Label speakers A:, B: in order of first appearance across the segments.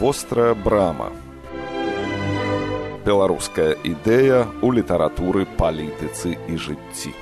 A: Вострая брама. Беларуская ідэя ў літаратуры, палітыцы і жыцці.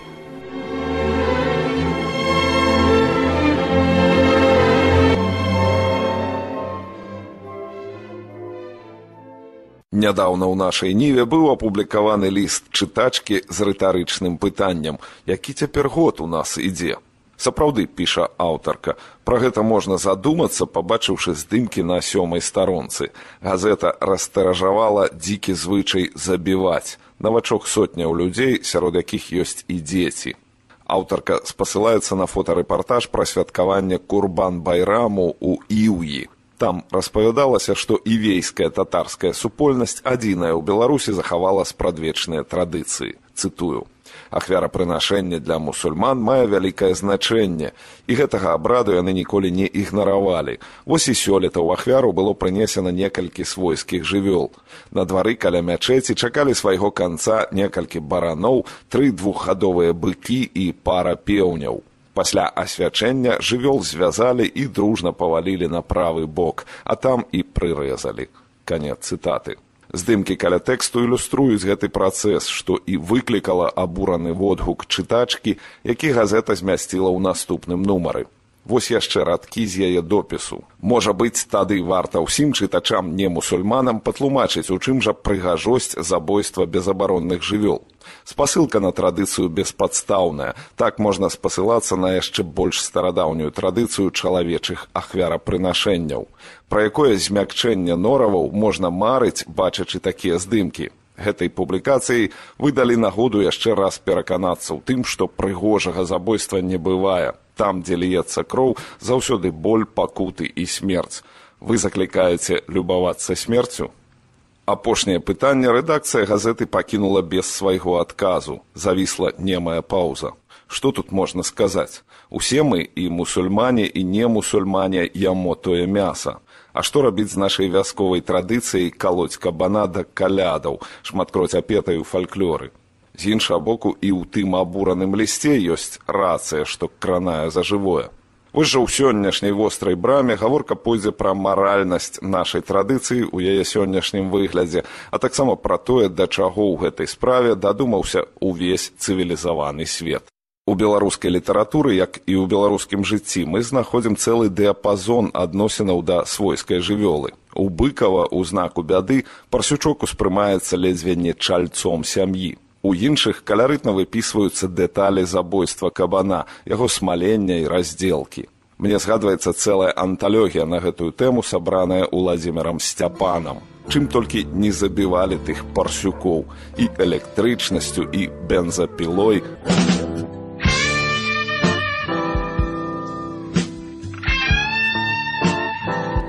A: Нядаўна ў нашай ніве быў апублікаваны ліст чытачкі з рытарычным пытаннем, які цяпер год у нас ідзе. Сапраўды, піша аўтарка, пра гэта можна задумацца, пабачыўшы здымкі на 7-й старонцы. Газета растыражавала дзікі звычай забіваць. Навачок сотняў людзей, сярод якіх ёсць і дзеці. Аўтарка спасылаецца на фотарэпартаж пра святкаванне Курбан-байраму ў Іўі. Там распавядалася, што івейская татарская супольнасць адзіная ў Беларусі захавала спрадвечныя традыцыі. Цытую. Ахвярапрынашэнне для мусульман мае вялікае значэнне, і гэтага абраду яны ніколі не ігнаравалі. Вось і сёлета ў ахвяру было прынесена некалькі свойскіх жывёл. На двары каля мячэці чакалі свайго канца некалькі бараноў, 3 двухгадовыя быкі і пара пеўняў. Пасля асвячэння жывёл звязалі і дружна павалілі на правы бок, а там і прырэзалі. Канец цытаты. Здымкі каля тэксту ілюструюць гэты працэс, што і выклікала абураны водгук чытачкі, які газета змясціла ў наступным нумары. Вось яшчэ радкі з яе допісу. Можа быць, тады варта ўсім чытачам не-мусульманам патлумачыць, у чым жа прыгажосць забойства безабаронных жывёл. Спасылка на традыцыю беспадстаўная. Так можна спасылацца на яшчэ больш старадаўнюю традыцыю чалавечых ахвярапрынашэнняў. Пра якое змякчэнне нораваў можна марыць, бачачы такія здымкі. Гэтай публікацыяй вы далі нагоду яшчэ раз пераканацца ў тым, што прыгожага забойства не бывае. Там, дзе ліецца кроў, заўсёды боль, пакуты і смерць. Вы заклікаеце любавацца смерцю? Апошняе пытанне рэдакцыя газеты пакінула без свайго адказу. Завісла немая паўза. Што тут можна сказаць? Усе мы, і мусульмане, і не-мусульмане, ямо тое мяса. А што рабіць з нашай вясковай традыцыяй калоць кабана да калядаў, шматкроць апетай у фальклоры? З іншага боку, і ў тым абураным лісце ёсць рацыя, што кранае за жывое. Вось жа ў сённяшняй вострай браме гаворка пойдзе пра маральнасць нашай традыцыі ў яе сённяшнім выглядзе, а таксама пра тое, да чаго ў гэтай справе дадумаўся ўвесь цывілізаваны свет. У беларускай літаратуры, як і ў беларускім жыцці, мы знаходзім цэлы дыяпазон адносінаў да свойскай жывёлы. У Быкава, у знаку бяды, парсючок успрымаецца ледзьве не чальцом сям'і. У іншых каларытна выпісваюцца дэталі забойства кабана, яго смалення і раздзелкі. Мне згадваецца цэлая анталогія на гэтую тэму, сабраная Уладзімірам Сцяпанам. Чым толькі не забівалі тых парсюкоў, і электрычнасцю, і бензапілой.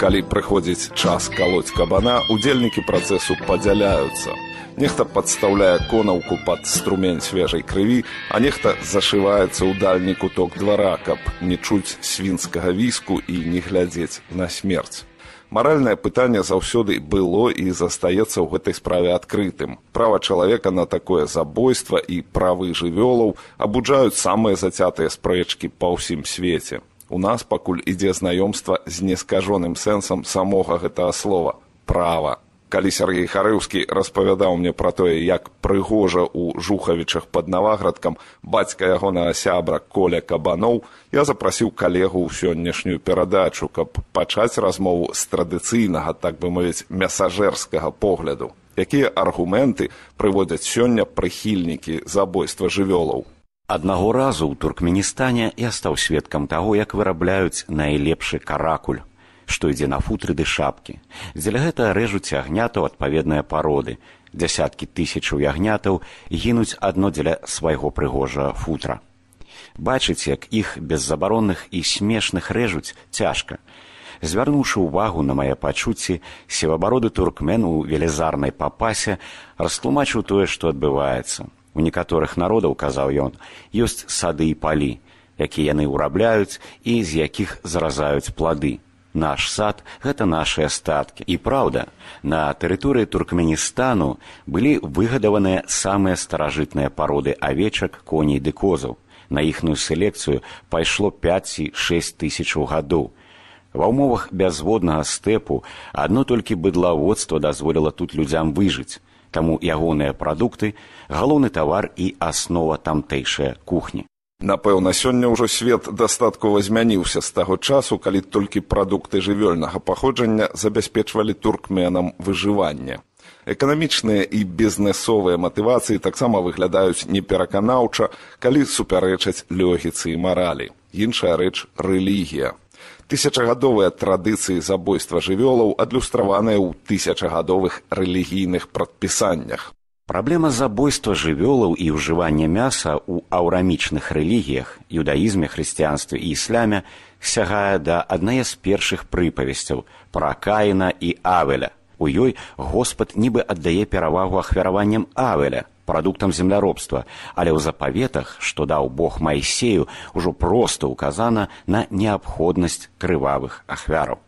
A: Калі прыходзіць час калоць кабана, удзельнікі працэсу падзяляюцца. Нехта падстаўляе конаўку пад струмень свежай крыві, а нехта зашываецца ў дальні куток двара, каб не чуць свінскага віску і не глядзець на смерць. Маральнае пытанне заўсёды было і застаецца ў гэтай справе адкрытым. Права чалавека на такое забойства і правы жывёлаў абуджаюць самыя зацятыя спрэчкі па ўсім свеце. У нас пакуль ідзе знаёмства з нескажоным сэнсам самога гэтага слова – права. Калі Сергей Харыўскі распавядаў мне пра тое, як прыгожа ў Жухавічах пад Наваградкам бацька ягонага сябра Коля Кабаноў, я запрасіў калегу ў сённяшнюю перадачу, каб пачаць размову з традыцыйнага, так бы мовіць, мясажэрскага погляду. Якія аргументы прыводзяць сёння прыхільнікі забойства жывёлаў?
B: Аднаго разу ў Туркменістане я стаў сведкам таго, як вырабляюць найлепшы каракуль, што ідзе на футры ды шапкі. Дзеля гэтага рэжуць ягнятаў адпаведныя пароды. Дзясяткі тысячаў ягнятаў гінуць адно дзеля свайго прыгожага футра. Бачыць, як іх беззабаронных і смешных рэжуць, цяжка. Звярнуўшы ўвагу на мае пачуцці, сівабароды туркмен у велізарнай папасе растлумачыў тое, што адбываецца. У некаторых народаў, казаў ён, ёсць сады і палі, якія яны ўрабляюць і з якіх заразаюць плады. Наш сад – гэта нашыя статкі. І праўда, на тэрыторыі Туркменістану былі выгадаваныя самыя старажытныя пароды авечак, коней ды козаў. На іхную селекцыю пайшло 5 ці 6 тысячаў гадоў. Ва ўмовах бязводнага стэпу адно толькі быдлаводства дазволіла тут людзям выжыць, таму ягоныя прадукты – галоўны тавар і аснова тамтэйшай кухні.
A: Напэўна, сёння ўжо свет дастаткова змяніўся з таго часу, калі толькі прадукты жывёльнага паходжання забяспечвалі туркменам выжыванне. Эканамічныя і бізнэсовыя матывацыі таксама выглядаюць непераканаўча, калі супярэчаць логіцы і маралі. Іншая рэч – рэлігія. Тысячагадовыя традыцыі забойства жывёлаў адлюстраваныя ў тысячагадовых рэлігійных прадпісаннях.
B: Праблема забойства жывёлаў і ўжывання мяса ў аўрамічных рэлігіях, юдаізме, хрысціянстве і ісляме сягае да аднае з першых прыпавесцяў пра Каіна і Авеля. У ёй Господ нібы аддае перавагу ахвяраванням Авеля, прадуктам земляробства, але ў запаветах, што даў Бог Майсею, ужо проста ўказана на неабходнасць крывавых ахвяраў.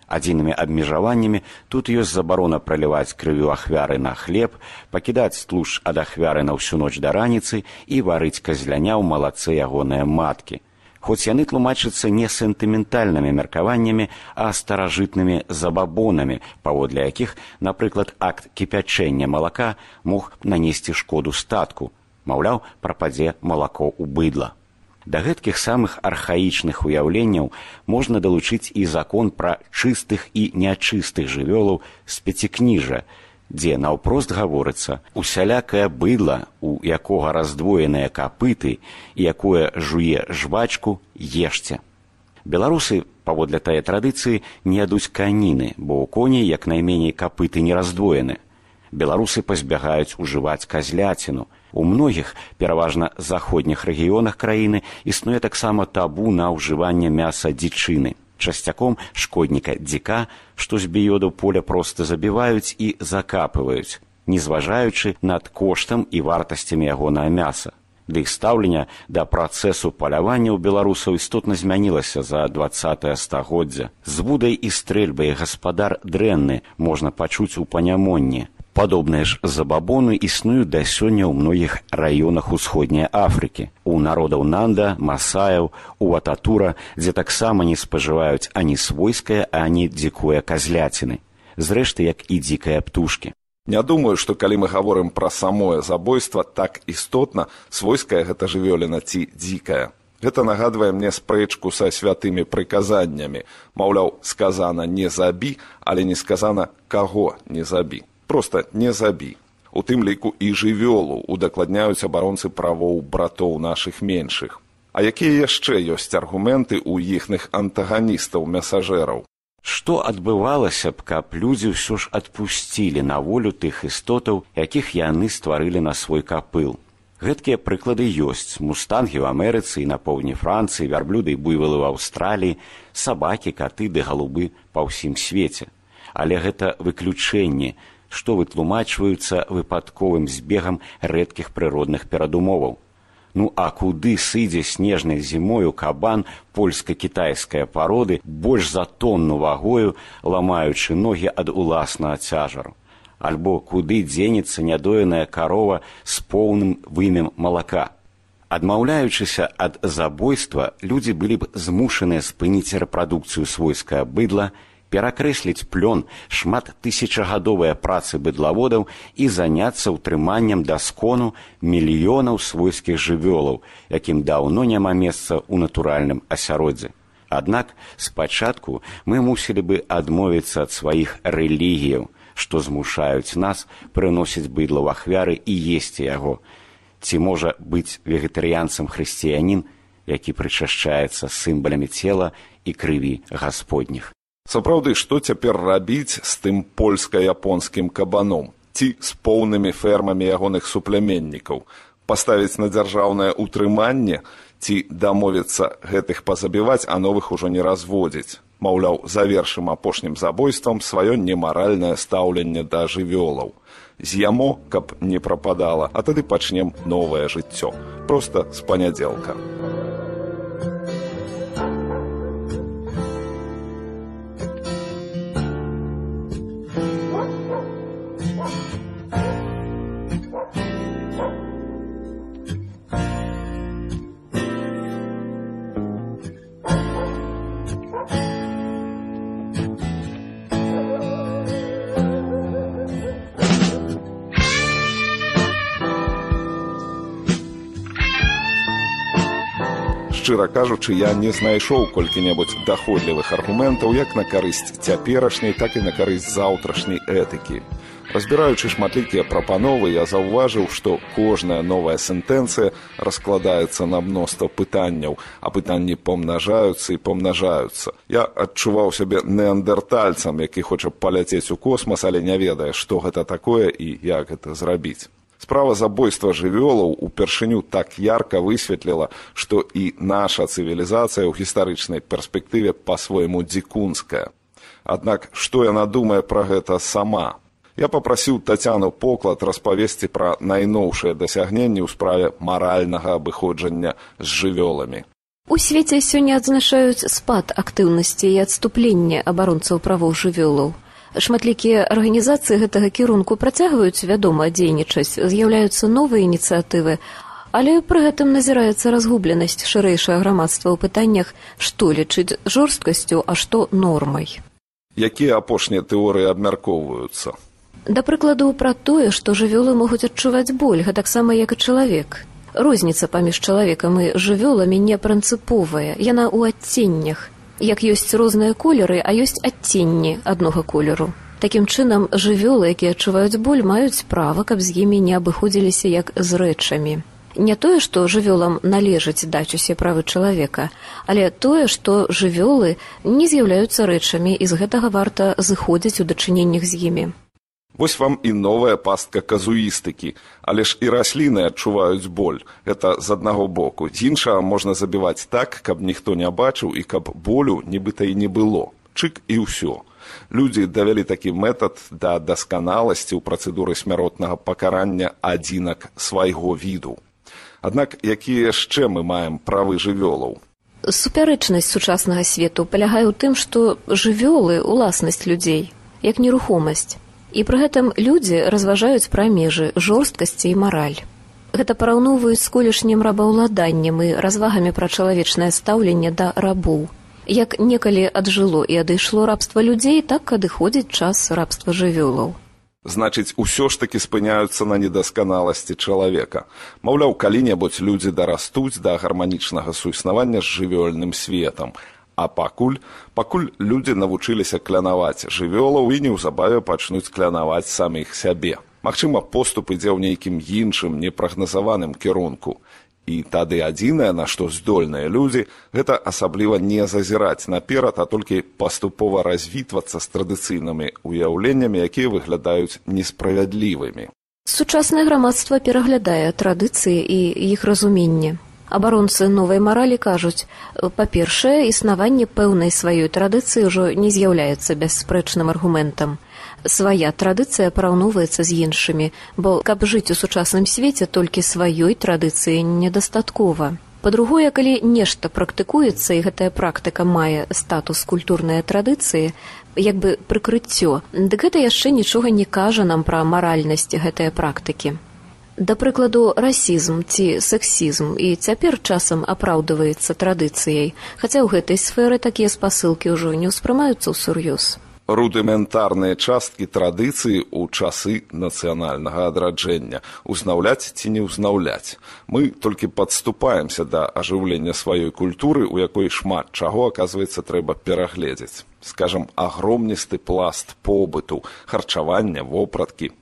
B: Адзінымі абмежаваннямі тут ёсць забарона праліваць крывю ахвяры на хлеб, пакідаць тлушч ад ахвяры на ўсю ноч да раніцы і варыць казляня ў малаце ягоныя маткі. Хоць яны тлумачацца не сентыментальнымі меркаваннямі, а старажытнымі забабонамі, паводле якіх, напрыклад, акт кіпячэння малака мог нанесці шкоду статку. Маўляў, прападзе малако ў быдла. Да гэткіх самых архаічных уяўленняў можна далучыць і закон пра чыстых і нячыстых жывёлаў з пяцікніжжа, дзе наўпрост гаворыцца усялякае быдла, у якога раздвоеныя капыты і якое жуе жвачку, ешце. Беларусы, паводле тае традыцыі, не ядуць каніны, бо ў коней як найменей капыты не раздвоены. Беларусы пазбягаюць ужываць казляціну. У многіх, пераважна заходніх рэгіёнах краіны, існуе таксама табу на ўжыванне мяса дзічыны. Часцяком шкодніка дзіка, што з біёду поля проста забіваюць і закапываюць, не зважаючы над коштам і вартасцямі ягонае мяса. Ды іх стаўленне да працэсу палявання ў беларусаў істотна змянілася за 20-е стагоддзя. З вудай і стрэльбай гаспадар дрэнны можна пачуць у панямонні. Падобныя ж забабоны існуюць да сёння ў многіх раёнах усходняй Афрыкі. У народаў Нанда, Масаяў, у Ататура, дзе таксама не спажываюць ані свойскае, ані дзікое казляціны. Зрэшты, як і дзікыя птушкі.
A: Не думаю, што калі мы гаворым пра самое забойства, так істотна, свойская гэта жывёліна ці дзікая. Гэта нагадвае мне спрэчку са святымі прыказаннямі. Маўляў, сказана не забі, але не сказана каго не забі. Проста не забі. У тым ліку і жывёлу удакладняюць абаронцы правоў братоў нашых меншых. А якія яшчэ ёсць аргументы ў іхных антаганістаў-мясажэраў?
B: Што адбывалася б, каб людзі ўсё ж адпусцілі на волю тых істотаў, якіх яны стварылі на свой капыл? Гэткія прыклады ёсць. Мустангі ў Амерыцы і на поўдні Францыі, вярблюды і буйвалы ў Аўстраліі, сабакі, каты ды галубы па ўсім свеце. Але гэта выключэнні, што вытлумачваюцца выпадковым збегам рэдкіх прыродных перадумоваў. Ну а куды сыдзе снежнай зімою кабан польска-кітайскай пароды больш за тонну вагою, ламаючы ногі ад уласнага цяжару? Альбо куды дзенецца нядоеная карова з поўным вымем малака? Адмаўляючыся ад забойства, людзі былі б змушаныя спыніць рэпрадукцыю свойскага быдла, перакрэсліць плён шматтысячагадовыя працы быдлаводаў і заняцца ўтрыманнем даскону мільёнаў свойскіх жывёлаў, якім даўно няма месца ў натуральным асяроддзі. Аднак спачатку мы мусілі бы адмовіцца ад сваіх рэлігіяў, што змушаюць нас прыносіць быдла ў ахвяры і есці яго. Ці можа быць вегетарыянцам хрысціянін, які прычашчаецца сімвалямі цела і крыві гасподніх?
A: Сапраўды, што цяпер рабіць з тым польска-японскім кабаном? Ці з поўнымі фермамі ягоных суплеменнікаў? Паставіць на дзяржаўнае ўтрыманне? Ці дамовіцца гэтых пазабіваць, а новых ужо не разводзіць? Маўляў, завершым апошнім забойствам сваё немаральнае стаўленне да жывёлаў. З'ямо, каб не прападала, а тады пачнем новае жыццё. Проста з панядзелка. Шчыра кажучы, я не знайшоў колькі-небудзь даходлівых аргументаў як на карысць цяперашняй, так і на карысць заўтрашняй этыкі. Разбіраючы шматлікія прапановы, я заўважыў, што кожная новая сентэнцыя раскладаецца на мноства пытанняў, а пытанні помнажаюцца і помнажаюцца. Я адчуваў сябе неандертальцам, які хоча паляцець у космас, але не ведае, што гэта такое і як гэта зрабіць. Справа забойства жывёлаў упершыню так ярка высветліла, што і наша цывілізацыя ў гістарычнай перспектыве па-свойму дзікунская. Аднак, што яна думае пра гэта сама? Я папрасіў Тацяну Поклад распавесці пра найноўшыя дасягненні ў справе маральнага абыходжання з жывёламі.
C: У свеце сёння адзначаюць спад актыўнасці і адступлення абаронцаў правоў жывёлаў. Шматлікія арганізацыі гэтага кірунку працягваюць, вядома, дзейнічаць, з'яўляюцца новыя ініцыятывы, але пры гэтым назіраецца разгубленасць шырэйшага грамадства ў пытаннях, што лічыць жорсткасцю, а што нормай.
A: Якія апошнія тэорыі абмяркоўваюцца?
C: Да прыкладу, пра тое, што жывёлы могуць адчуваць боль, гэтаксама як і чалавек. Розніца паміж чалавекам і жывёламі не прынцыповая, яна ў адценнях. Як ёсць розныя колеры, а ёсць адценні аднога колеру. Такім чынам, жывёлы, якія адчуваюць боль, маюць права, каб з імі не абыходзіліся як з рэчамі. Не тое, што жывёлам належыць даць усе правы чалавека, але тое, што жывёлы не з'яўляюцца рэчамі, і з гэтага варта зыходзіць у дачыненнях з імі.
A: Вось вам і новая пастка казуістыкі, але ж і расліны адчуваюць боль. Гэта з аднаго боку. З іншага можна забіваць так, каб ніхто не бачыў і каб болю нібыта і не было. Чык і ўсё. Людзі давялі такі метад да дасканаласці ў працэдуры смяротнага пакарання адзінак свайго віду. Аднак, якія яшчэ мы маем правы жывёлаў?
C: Супярэчнасць сучаснага свету палягае ў тым, што жывёлы — уласнасць людзей, як нерухомасць. І пры гэтым людзі разважаюць пра межы жорсткасці і мараль. Гэта параўноўваюць з колішнім рабаўладаннем і развагамі пра чалавечнае стаўленне да рабоў. Як некалі аджыло і адышло рабства людзей, так адыходзіць час рабства жывёлаў.
A: Значыць, усё ж такі спыняюцца на недасканаласці чалавека. Маўляў, калі-небудзь людзі дарастуць да гарманічнага суіснавання з жывёльным светам. А пакуль людзі навучыліся клянаваць жывёлаў і неўзабаве пачнуць клянаваць саміх сябе. Магчыма, поступ ідзе ў нейкім іншым, непрагназаваным кірунку. І тады адзінае, на што здольныя людзі, гэта асабліва не зазіраць наперад, а толькі паступова развітвацца з традыцыйнымі ўяўленнямі, якія выглядаюць несправядлівымі.
C: Сучаснае грамадства пераглядае традыцыі і іх разуменне. Абаронцы новай маралі кажуць, па-першае, існаванне пэўнай сваёй традыцыі ўжо не з'яўляецца бясспрэчным аргументам. Свая традыцыя параўноўваецца з іншымі, бо каб жыць у сучасным свеце, толькі сваёй традыцыі недастаткова. Па-другое, калі нешта практыкуецца, і гэтая практыка мае статус культурнай традыцыі, як бы прыкрыццё, дык гэта яшчэ нічога не кажа нам пра маральнасць гэтае практыкі. Да прыкладу, расізм ці сексізм і цяпер часам апраўдваецца традыцыяй, хаця ў гэтай сферы такія спасылкі ўжо не ўспрымаюцца ўсур'ёз.
A: Рудыментарныя часткі традыцыі ў часы нацыянальнага адраджэння. Узнаўляць ці не ўзнаўляць. Мы толькі падступаемся да ажыўлення сваёй культуры, у якой шмат чаго, аказваецца, трэба перагледзець. Скажам, агромністы пласт побыту, харчавання, вопраткі.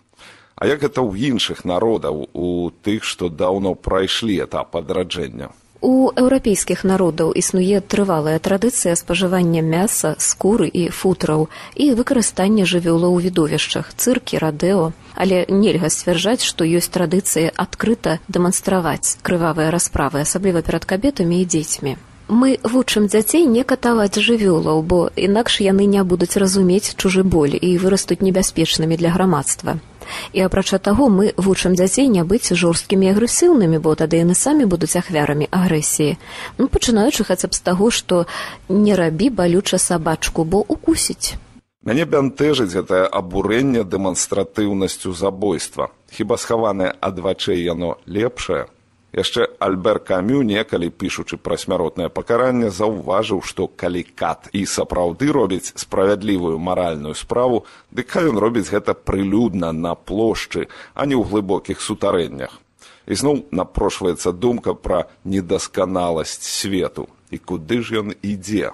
A: А як гэта ў іншых народаў, у тых, што даўно прайшлі этап адраджэння?
C: У еўрапейскіх народаў існуе трывалая традыцыя спажывання мяса, скуры і футраў і выкарыстання жывёлаў у відовішчах, цыркі, радэо. Але нельга сцвярджаць, што ёсць традыцыя адкрыта дэманстраваць крывавыя расправы, асабліва перад кабетамі і дзецьмі. Мы вучым дзяцей не катаваць жывёлаў, бо інакш яны не будуць разумець чужы боль і вырастуць небяспечнымі для грамадства. І апрача таго, мы вучым дзяцей не быць жорсткімі і агрэсіўнымі, бо тады яны самі будуць ахвярамі агрэсіі. Пачынаючы хаця б з таго, што не рабі балюча сабачку, бо укусіць.
A: Мяне бянтэжыць гэтае абурэнне дэманстратыўнасцю забойства. Хіба схаванае ад вачэй яно лепшае? Яшчэ Альбер Камю, некалі пішучы пра смяротнае пакаранне, заўважыў, што калі кат і сапраўды робіць справядлівую маральную справу, дык хай ён робіць гэта прылюдна на плошчы, а не ў глыбокіх сутарэннях. І зноў напрошваецца думка пра недасканаласць свету. І куды ж ён ідзе?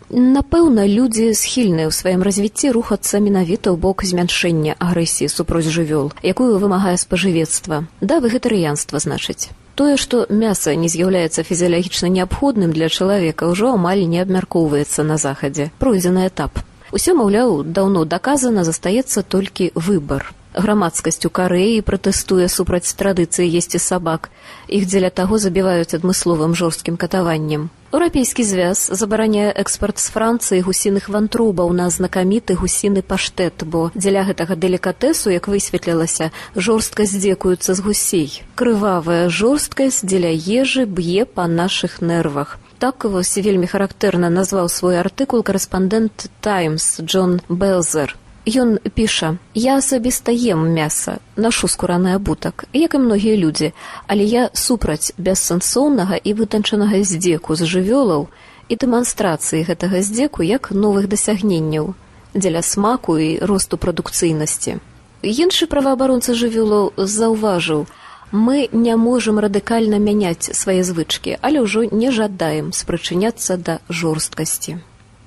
C: Напэўна, людзі схільныя ў сваім развіцці рухацца менавіта ў бок змяншэння агрэсіі супроць жывёл, якую вымагае спажывецтва. Да вегетарыянства, значыць. Тое, што мяса не з'яўляецца фізіялагічна неабходным для чалавека, ўжо амаль не абмяркоўваецца на захадзе. Пройдзены этап. Усё, маўляў, даўно даказана, застаецца толькі выбар. Грамадскасць у Карэі пратэстуе супраць традыцыі есці сабак. Іх дзеля таго забіваюць адмысловым жорсткім катаваннем. Еўрапейскі звяз забараняе экспарт з Францыі гусіных вантробаў на знакаміты гусіны паштэт, бо дзеля гэтага делікатэсу, як высветлілася, жорстка здзекуюцца з гусей. Крывавая жорсткасць дзеля ежы б'е па нашых нервах. Так вось вельмі характэрна назваў свой артыкул корэспандэнт «Таймс» Джон Белзер. Ён піша: «Я асабіста ем мяса, нашу скураны абутак, як і многія людзі, але я супраць бессэнсоўнага і вытанчанага здзеку з жывёлаў і дэманстрацыі гэтага здзеку як новых дасягненняў дзеля смаку і росту прадукцыйнасці». Іншы праваабаронца жывёлаў заўважыў: «Мы не можам радыкальна мяняць свае звычкі, але ўжо не жадаем спрычыняцца да жорсткасці».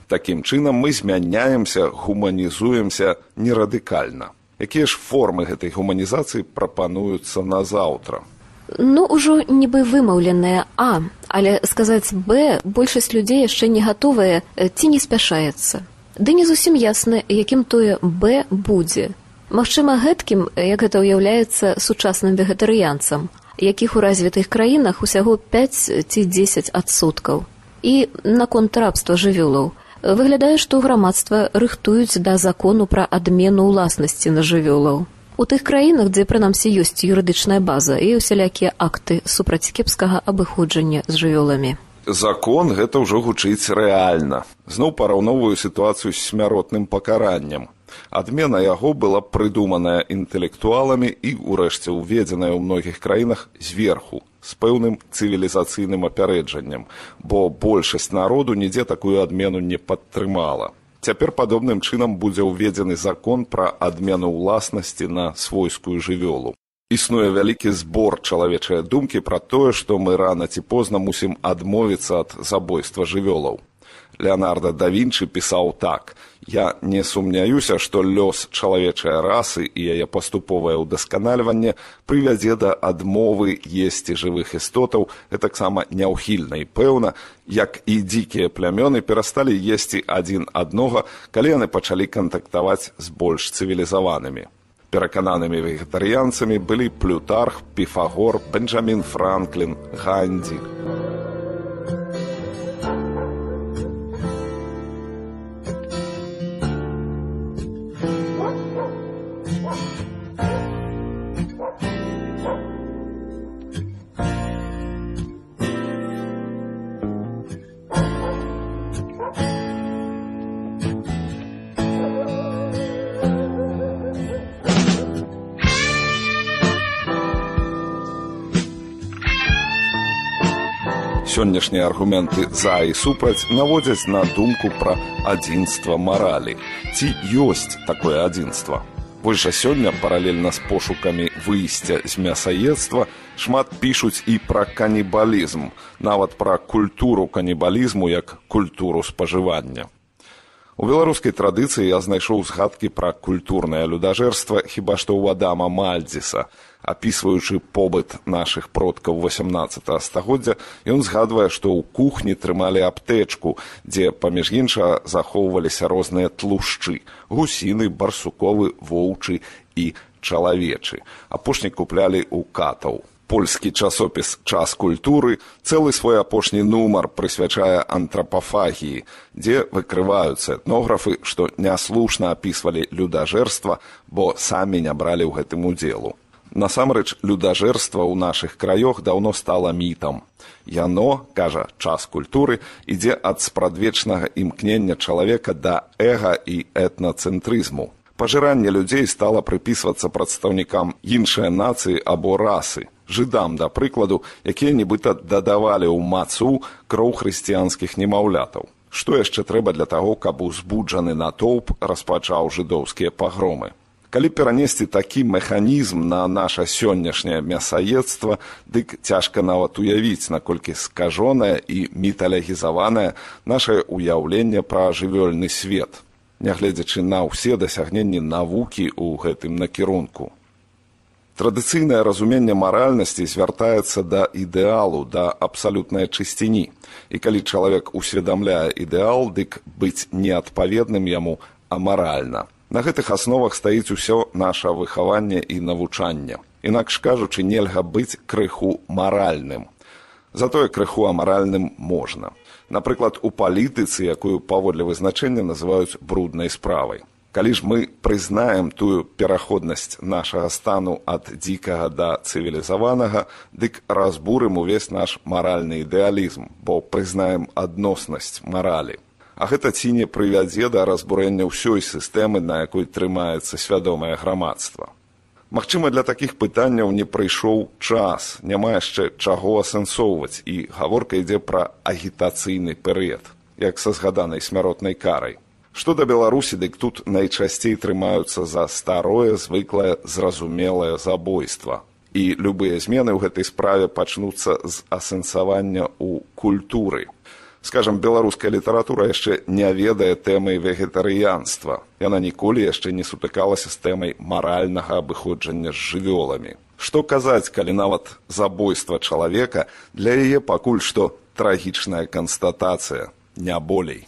A: Такім чынам мы змяняемся, гуманізуемся нерадыкальна. Якія ж формы гэтай гуманізацыі прапануюцца на заўтра?
C: Ну, ужо нібы вымаўленае «А», але сказаць «Б» большасць людзей яшчэ не гатовая ці не спяшаецца. Ды не зусім ясна, якім тое «Б» будзе. Магчыма, гэткім, як гэта ўяўляецца сучасным вегетарыянцам, якіх у развітых краінах усяго 5 ці 10%. І наконт рабства жывёлаў. Выглядае, што грамадства рыхтуюць да закону пра адмену ўласнасці на жывёлаў. У тых краінах, дзе прынамсі ёсць юрыдычная база і усялякія акты супраць кепскага абыходжання з жывёламі.
A: Закон гэта ўжо гучыць рэальна. Зноў параўноўваю сітуацыю з смяротным пакараннем. Адмена яго была прыдуманая інтэлектуаламі і, урэшце, уведзеная ў многіх краінах зверху, з пэўным цывілізацыйным апярэджаннем, бо большасць народу нідзе такую адмену не падтрымала. Цяпер падобным чынам будзе ўведзены закон пра адмену ўласнасці на свойскую жывёлу. Існуе вялікі збор чалавечай думкі пра тое, што мы рана ці позна мусім адмовіцца ад забойства жывёлаў. Леонардо да Вінчы пісаў так: «Я не сумняюся, што лёс чалавечай расы і яе паступовае ўдасканальванне прывядзе да адмовы есці жывых істотаў, гэтаксама няўхільна і пэўна, як і дзікія плямёны перасталі есці адзін аднога, калі яны пачалі кантактаваць з больш цывілізаванымі». Перакананымі вегетарыянцамі былі Плютарх, Піфагор, Бенджамін Франклін, Гандзі. Сённяшнія аргументы «за» і «супраць» наводзяць на думку пра адзінства маралі. Ці ёсць такое адзінства? Вось жа сёння, паралельна з пошукамі выйсця з мясаедства, шмат пішуць і пра канібалізм, нават пра культуру канібалізму як культуру спажывання. У беларускай традыцыі я знайшоў згадкі пра культурнае людажэрства хіба што ў Адама Мальдзіса. Апісваючы побыт нашых продкаў 18 стагоддзя, ён згадвае, што ў кухні трымалі аптэчку, дзе, паміж іншага, захоўваліся розныя тлушчы – гусіны, барсуковы, воўчы і чалавечы. Апошні куплялі ў катаў. Польскі часопіс «Час культуры» цэлы свой апошні нумар прысвячае антрапафагіі, дзе выкрываюцца этнографы, што няслушна апісвалі людажэрства, бо самі не бралі ў гэтым удзелу. Насамрэч, людажэрства ў нашых краёх даўно стала мітам. Яно, кажа «Час культуры», ідзе ад спрадвечнага імкнення чалавека да эга і этнацэнтрызму. Пажыранне людзей стала прыпісвацца прадстаўнікам іншай нацыі або расы, жыдам, да прыкладу, якія нібыта дадавалі ў мацу кроў хрысціянскіх немаўлятаў. Што яшчэ трэба для таго, каб узбуджаны натоўп распачаў жыдоўскія пагромы? Калі перанесці такі механізм на наша сённяшняе мясаедства, дык цяжка нават уявіць, наколькі скажонае і міталогізаванае нашае ўяўленне пра жывёльны свет, нягледзячы на ўсе дасягненні навукі ў гэтым накірунку. Традыцыйнае разуменне маральнасці звяртаецца да ідэалу, да абсалютнай чысціні. І калі чалавек усведамляе ідэал, дык быць неадпаведным яму амаральна. На гэтых асновах стаіць усё наша выхаванне і навучанне. Інакш кажучы, нельга быць крыху маральным. Затое крыху амаральным можна. Напрыклад, у палітыцы, якую паводле вызначэння называюць бруднай справай. Калі ж мы прызнаем тую пераходнасць нашага стану ад дзікага да цывілізаванага, дык разбурым увесь наш маральны ідэалізм, бо прызнаем адноснасць маралі. А гэта ці не прывядзе да разбурэння ўсёй сістэмы, на якой трымаецца свядомае грамадства. Магчыма, для такіх пытанняў не прыйшоў час, няма яшчэ чаго асэнсоўваць, і гаворка ідзе пра агітацыйны перыяд, як са згаданай смяротнай карай. Што да Беларусі, дык тут найчасцей трымаюцца за старое, звыклае, зразумелае забойства. І любыя змены ў гэтай справе пачнуцца з асэнсавання ў культуры. Скажам, беларуская літаратура яшчэ не ведае тэмай вегетарыянства. Яна ніколі яшчэ не сутыкалася з тэмай маральнага абыходжання з жывёламі. Што казаць, калі нават забойства чалавека для яе пакуль што трагічная канстатацыя, не болей.